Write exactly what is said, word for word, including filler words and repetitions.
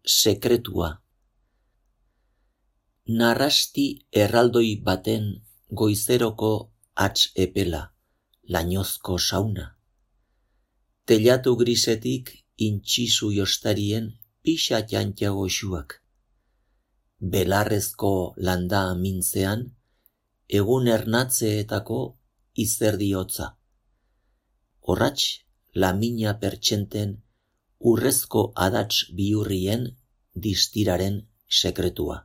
sekretua. Narrasti erraldoi baten goizeroko hats epela, lainozko sauna. Telatu grisetik intxisu jostarien pixa jantia goxuak. Belarrezko landa mintzean, egun ernatzeetako izerdi hotza. Horratx, lamina pertsenten urrezko adats bihurrien distiraren sekretua.